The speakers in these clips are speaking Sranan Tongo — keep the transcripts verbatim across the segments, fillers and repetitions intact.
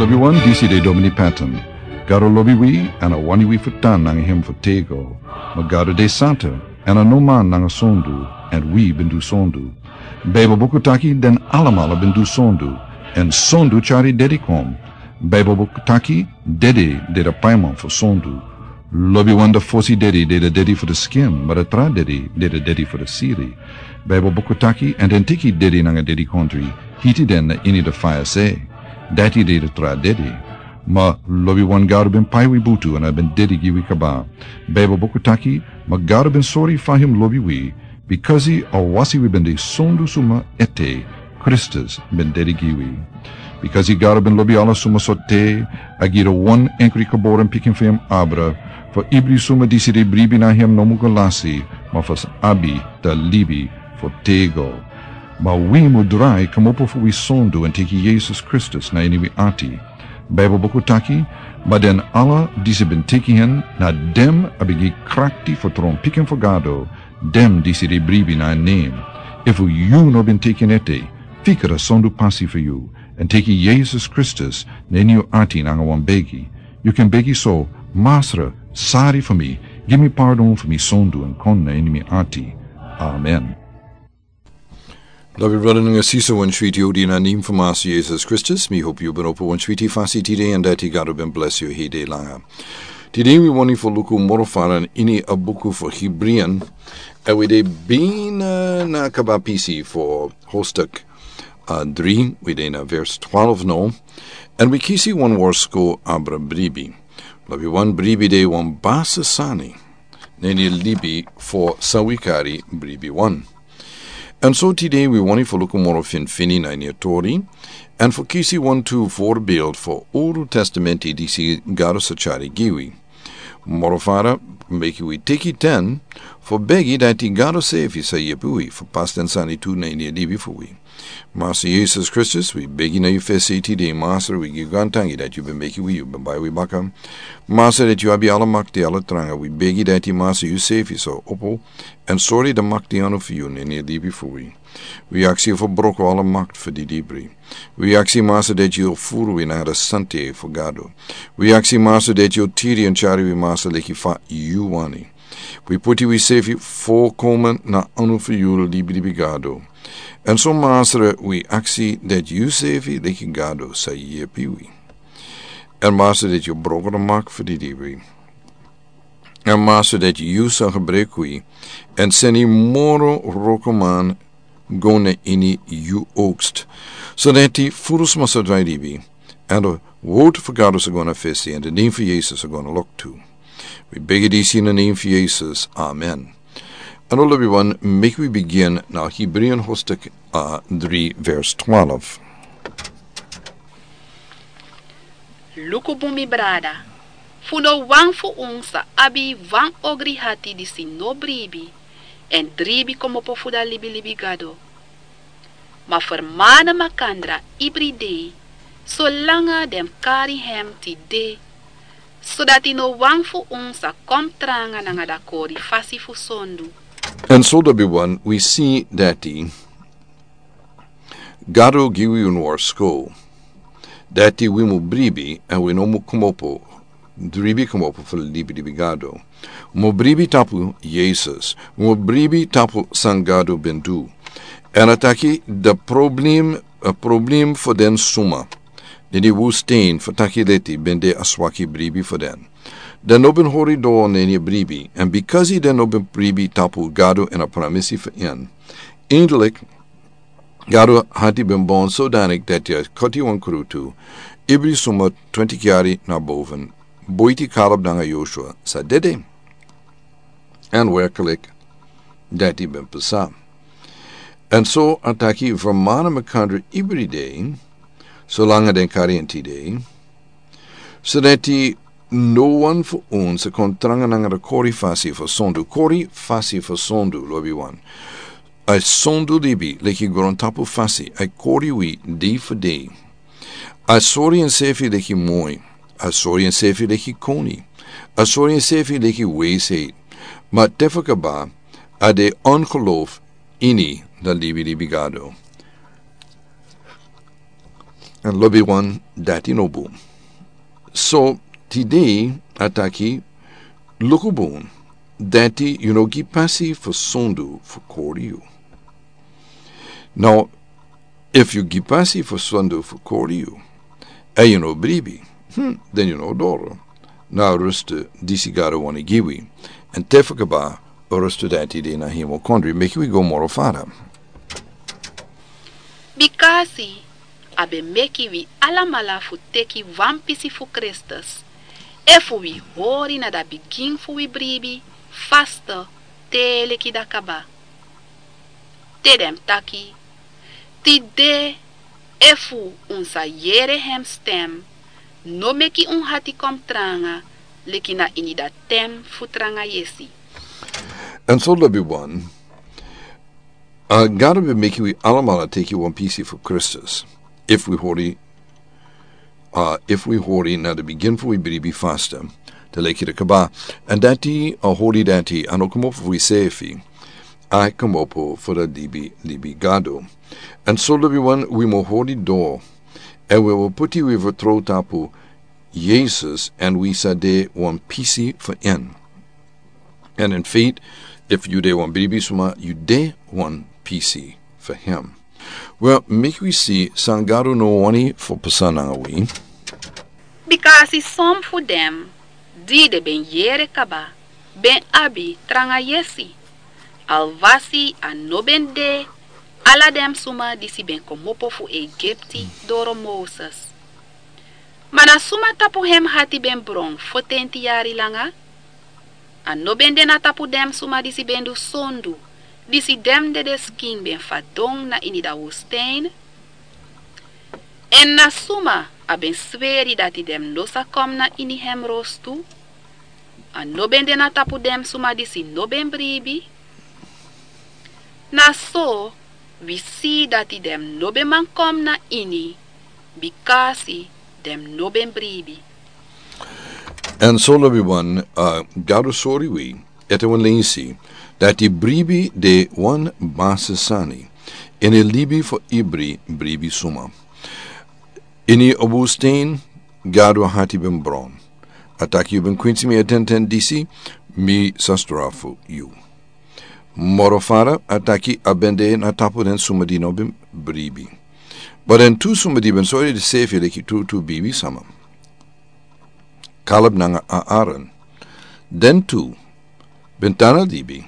Wi wan disi de Domini Patton. Gado lobi wi, èn a wani wi fu tan nanga hem fu tego. Ma Gado de santa, èn a no man nanga sondu, èn wi ben du sondu. Baibel buku taki den alamala ben du sondu, èn sondu tyari dedi kon. Baibel buku taki dedi de de paiman fu sondu. Lobiwan de fosi dedi de de dedi fu de skin, ma de tra dedi de de dedi fu de siri. Baibel buku taki, èn den teki dedi nanga dedikondri, hiti den na ini de faya se. Dati de de tra dedi. Ma lobiwan Gado ben pai wi butu èn a ben dedi gi wi kaba. Baibel buku taki, ma Gado ben sori fa hem lobi wi, bikasi a wasi wi ben de sondu suma ete, Kristus ben dedi gi wi. Bikasi Gado ben lobi ala suma so te, a gi de wan enkri geboren pikin fu hem abra, fu ibri suma disi de bribi na hem no mu go lasi, ma fu abi de libi fu tego. Ma wi mu drai kmopo fu wi sondu èn teki Yesus Kristus na ini wi ati. Baibel buku taki, ma den ala disi ben teki hen, na dem a ben gi krakti fu tron pikin fu Gado, dem disi de bribi na en nen. Efu yu no ben teki en ete, fika de sondu pasi fu yu, èn teki Yesus Kristus na ini yu ati nanga wan begi. Yu kan begi so, Masra, sari fu mi, gi mi pardon fu mi sondu èn kon na ini mi ati. Amen. Lobi brada nanga sisa, wan switi odi na nen fu Masra Yesus Kristus, mi hopi yu ben opo wan switi fasi tide èn dati Gado ben bless yu hede langa. Tide wi wani fu luku moro fara ini a buku fu Hebrian, èn wi de bini na kaba pisi fu hostuk, a, dri, wi de na vers twelve no, èn wi kisi wan worsko abra bribi. Lobiwan, bribi de wan basi sani na ini libi fu san wi kari bribiwan. Èn so tide wi wani fu luku moro finfini na ini a tori, èn fu kisi wantu voorbeeld fu Uru Testamenti disi Gado sa tyari gi wi. Moro fara, meki wi teki ten fu begi dati Gado sefi sa yepi wi fu pasi den sani tu na ini a libi fu wi. Masra Yesus Kristus, wi begi na yu fesi tide, Masra, wi gi yu grantangi dati yu ben meki wi, yu ben bai wi baka. Masra, dati yu abi ala makti, ala tranga, wi begi dati Masra yu sefi sa opo èn sori de makti anu fu yu na ini a libi fu wi. Wi aksi yu fu broko ala makti fu didibri. Wi aksi Masra dati yu furu wi nanga de sante fu Gado. Wi aksi Masra dati yu tiri èn tyari wi Masra leki fa yu wani. Wi puti wi sefi fokomen na anu fu yu, libilibi Gado. Èn so Masra, wi aksi dati yu sefi leki Gado sa yepi wi. Èn Masra, dati yu broko de makti fu didibri. Èn Masra, dati yu sa gebruik wi èn seni moro wrokoman go na ini yu oogst, so dati furu sma sa drai libi, èn de word fu Gado sa go na fesi, èn de nen fu Yesus sa go na lok tu. Wi begi disi na nen fu Yesus. Amen. Èn lobiwan, meki wi bigin na Hebrian hostuk, a, dri vers twelve. Luku bun, mi brada, fu no wan fu un sa abi wan ogri hati disi no bribi èn dribi kmopo fu da libilibi Gado. Ma fermana makandra ibri dei, solanga den kari hem tide, sodati no wan fu un sa kon tranga nanga da kori fasi fu sondu. Èn so lobiwan, wi si dati Gado gi wi un worsko dati wi mu bribi èn wi no mu kmopo, dribi kmopo fu libilibi Gado. Wi mu bribi tapu Yesus, wi mu bribi tapu san Gado ben du. Èn a taki de problem, a problem fu den suma na ini wustèn fu taki leti ben de a swaki bribi fu den. Den no ben hori doro na ini bribi, èn bikasi den no ben bribi tapu Gado èn a pramisi fu en, eindelijk Gado hati ben bon sodanik dati a koti wan krutu, ibri suma twintig yari na boven, boiti Kaleb nanga Joshua sa dede. Èn werkelijk, dati ben pasa. Èn so a taki, fermana makandra ibri dei, solanga den kari en tide, sodati no wan fu un sa kon tranga nanga da kori fasi fu sondu. Kori fasi fu sondu, lobiwan. A sondu libi leki grontapu fasi, a kori wi dei fu dei. A sori ensefi leki moi, a sori ensefi leki koni, a sori ensefi leki wijsheid. Ma te fu kaba, a de ongeloof ini da libilibi Gado. Èn lobi wan, dati no bun. So tide a taki, luku bun, dati yu no gi pasi fu sondu fu kori yu. Now, efu yu gi pasi fu sondu fu kori yu, èn yu no bribi, hmm, den yu no doro na a rustu disi Gado wani gi wi. Èn te fu kaba, a rustu dati de na hemel kondre. Meki wi go moro fara. Bikasi a ben meki wi alamala fu teki wan pisi fu Kristus, efu wi hori na da bigin fu wi bribi faste te leki da kaba. Te den mus taki, tide, efu un sa yere hem stem, no meki un hati kon tranga leki na ini da ten fu tranga yesi. Èn so lobi wan, a Gado ben meki wi alamala teki wan pisi fu Kristus, efu wi hori, a, efu wi hori na da bigin fu wi bribi faste te leki da kaba. Èn dati, a hori dati a no komopo fu wi sefi, a komopo fu da libi, libi Gado. Èn so lobi wan, wi mu hori doro, èn wi mu puti wi fertrow tapu Yesus, èn wi sa de wan pisi fu en. Èn in feit, efu yu de wan bribi suma, yu de wan pisi fu hem. Wel, meki wi si san Gado no wani fu pasa nanga wi. Bikasi son fu den di den ben yere kaba ben abi tranga yesi, alwasi a no ben de ala den suma disi ben komopo fu Egipti doro Moses. Ma na suma tapu hem hati ben bron fotenti yari langa? A no ben de na tapu den suma disi ben du sondu, disi den dede skin ben fadon na ini da woestijn? Èn na suma a ben sweri dati den no sa kon na ini hem rostu? A no ben de na tapu den suma disi no ben bribi? Na so wi si dati den no ben man kon na ini, bikasi den no ben bribi. Èn so lobi wan, a, Gado sori wi ete wan leisi dati bribi de wan basi sani ini libi fu ibri bribi suma. Ini a woestijn, Gado hati ben bron. A taki, yu ben kwinsi mi a ten ten disi, mi sa strafu yu. Moro fara a taki a ben de na tapu den suma di no ben bribi. Ma den tu suma di ben sori densefi leki tutu bribi sama, Kaleb nanga Aaron, den tu ben tan na libi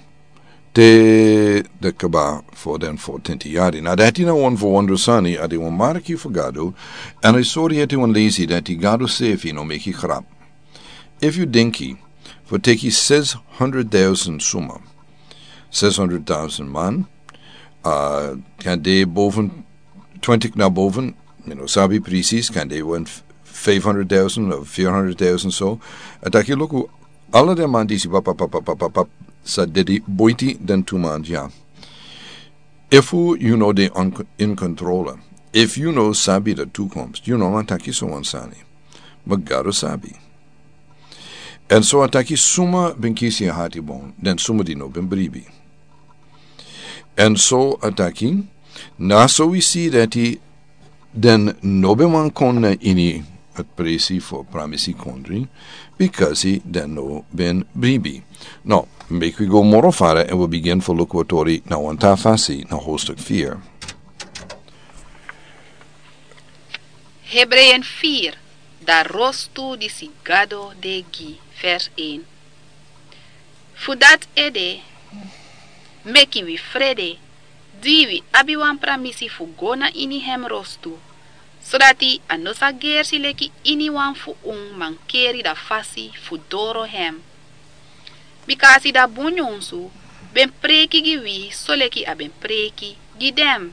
te den kaba fu den fotenti yari. Na dati na wan fu wondro sani, a de wan marki fu Gado, èn a sori ete wan leisi dati Gado sefi no meki grap. Efu yu denki fu teki zeshonderdduizend suma, zeshonderdduizend man, a, kan de boven twintig na boven, mi no sabi presis, kan de wan vijfhonderdduizend of vierhonderdduizend so. A taki, luku, ala den man disi pap, pap, pap, pap, pap, pap, sa dede boiti den tu man dya. Efu yu no de on, in controle, efu yu no sabi da toekomst, yu no man taki so wan sani. Ma Gado sabi. Èn so a taki suma ben kisi a hati bun, den suma di no ben bribi. Èn so a taki, na so wi si dati den no ben man kon na ini a presi fu a pramisi kondri, bikasi den no ben bribi. Now, meki wi go moro fara èn wi bigin fu luku a tori na wan tra fasi na hoofdstuk vier. Hebreeën vier, da rostu disi Gado de gi, vers één. Fu dati ede, meki wi frede, di wi abi wan pramisi fu go na ini hem rostu, sodati a no sa gersi leki iniwan fu un mankeri da fasi fu doro hem. Bikasi da bun nyunsu ben preki gi wi soleki a ben preki gi den.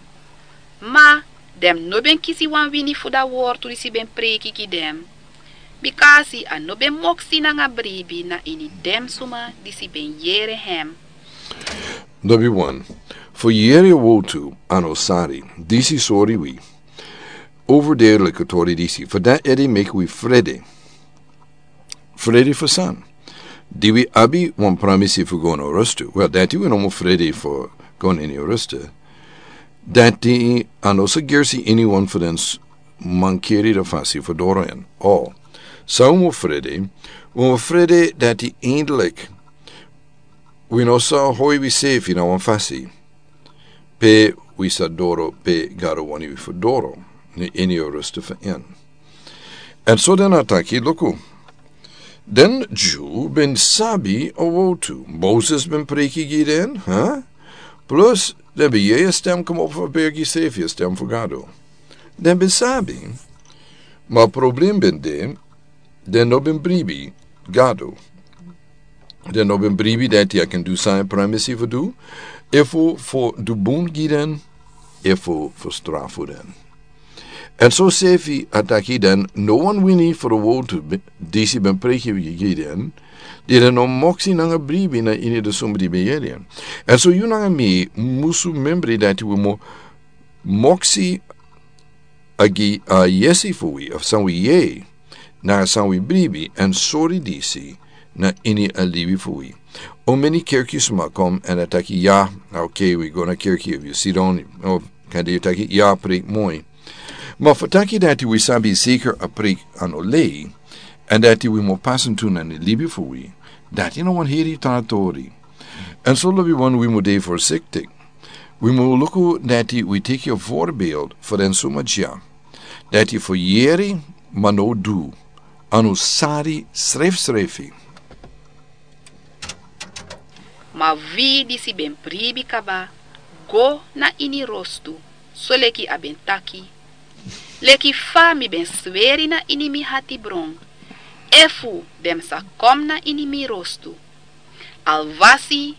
Ma den no ben kisi wan wini fu da wortu disi ben preki gi den. Bikasi a no ben moksi nanga bribi na ini den suma disi ben yere hem. Number one, fu yere a wortu a no sari, disi sori wi. Overduidelijke tori disi. Fu dati ede meki wi frede. Frede fu san? Di wi abi wan pramisi fu go na rostu. Wel, dati wi no mu frede fu go na ini rostu. Dati a no sa gersi iniwan fu den s-, mankeri dan fasi fu doro en. O, san un mu frede, un mu frede dati eindelijk wi no sa hoi wi sefi na wan fasi pe wi sa doro pe Gado wani wi fu doro, ni ini o rustu fu en. En so den a taki, luku, den Dyu ben sabi a wowtu Moses ben preki gi den, ha? Plus den ben yere a stem komopo fu a bergi sefi, a stem fu Gado. Den ben sabi, ma a problem ben de, den no ben bribi Gado. Den no ben bribi dati a kan du san a e pramisi fu du, efu fu du bun gi den, efu fu strafu den. En so sefi a taki den no wan wini fu a wowtu be-, disi ben preki gi den, di den no moksi nanga bribi na ini den suma di ben yere en. En so yu nanga mi musu membri dati wi mu moksi a gi a yesi fu wi, of san wi yere, nanga san wi bribi, en sori disi na ini a libi fu wi. O meni kerki suma kon, en a taki ya, oké, wi go na kerki, efu yu sidon, o kan de yu taki ya, a preki moi. Ma fu taki dati wi sabi zeker a preki a no lei, en dati wi mu pasa en tu na ini libi fu wi, dati no wan heri tra tori. En so lobiwan wi mu de voorzichtig. Wi mu luku dati wi teki a voorbeeld fu den suma dya. Dati fu yere ma no du, a no sari srefsrefi. Ma wi disi ben bribi kaba, go na ini rostu, soleki a ben taki. Leki fa mi ben sweri na ini mi hatibron, efu den sa kon na ini mi rostu. Alwasi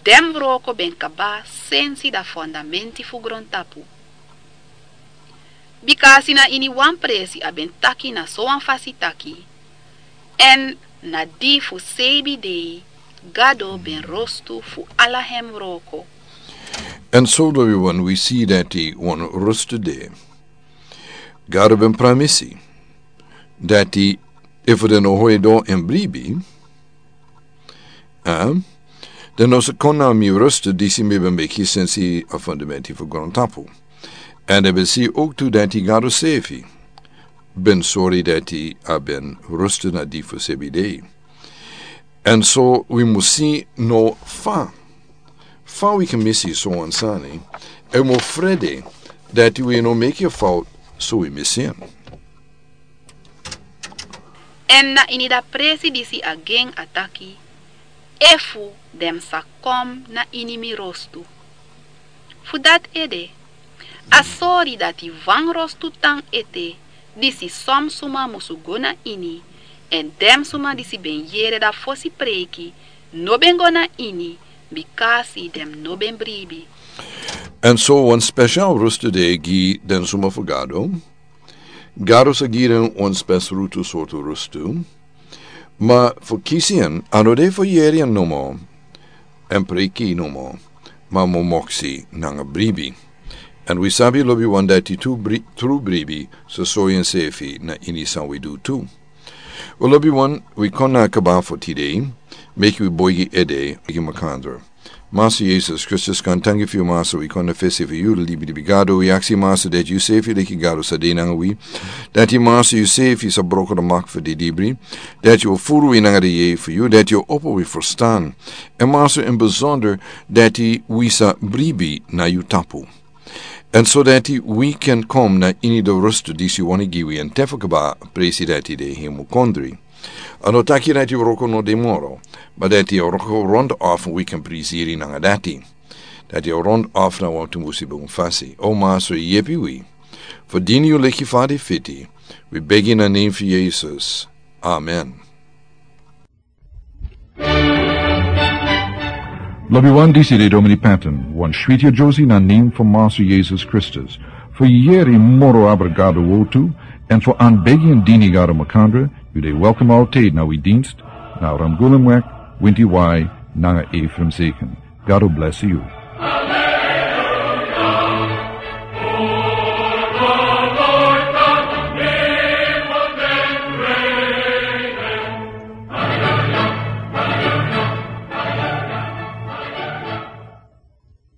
den wroko ben kaba sensi a fondamenti fu grontapu. Bika a si na ini wan presi a ben taki na sowan fasi taki, en na di fu seibi dei Gado ben rostu fu ala en wroko. En so lobiwan wi si dati wan rostu de. Gado ben pramisi dati efu den no hoi doro en bribi, a, den no sa kon na mi rostu disi mi ben meki sensi a fondamenti fu grontapu. En den ben si ook tu dati Gado sefi ben sori dati a ben rostu na di fu seibi dei. En so wi mu si no fa, fa wi kan misi sowan sani, en wi mu frede dati wi no meki a fout so wi misi en. En na ini a presi disi a gen a taki, efu den sa kon na ini mi rostu. Fu dati ede, a sori dati wan rostu tan ete, disi son suma musu go na ini, en den suma disi ben yere a fosi preki, no ben go na ini, bika a si den no ben bribi. En so wan spesial rostu de gi den suma fu Gado. Gado sa gi den wan spesrutu sortu rostu. Ma fu kisi en, a no de fu yere en nomo, en preki nomo, ma fu moksi nanga bribi. En wi sabi lobiwan dati tru bri-, tru bribi sa sori ensefi na ini san wi du tu. Wel lobiwan, wi kon na kaba fu tide, meki wi boigi ede, wi gi makandra. Master Jesus Kristus, kan tangi fu yu, Master, wi kon na fesi fu yu, libi di bigado, wi aksi, Master, dati yu sefi leki Gado sa de nanga wi. Dati, Master, yu sefi sa broko a mak fu di libri. Dati yu furu wi nanga di yeye fu yu, dati yu opo wi ferstan. En Master, in besonder, dati wi sa bribi na yu tapu. En so dati wi kan kon na ini a rostu disi yu wani gi wi, en te fu kaba presi dati de hemu kondri. A no taki dati a wroko no de moro, ma dati a wroko rond of wi kan prisiri nanga dati. Dati a rond of na wan tumbusi bun fasi. O Master, yepi wi. Fu dini yu leki fa a de fiti. Wi begi na name fu Jesus. Amen. Lobiwan, disi de Domini Patton, wan switi yusrefi na name fu Master Jesus Kristus. Fu yere moro abra Gado wowtu, en fu anbegi en dini Gado makandra, yu de welkom altijd na wi dienst, na Ramgulumweg, winti wai, nanga Ephraim Zeken. Gado bless yu.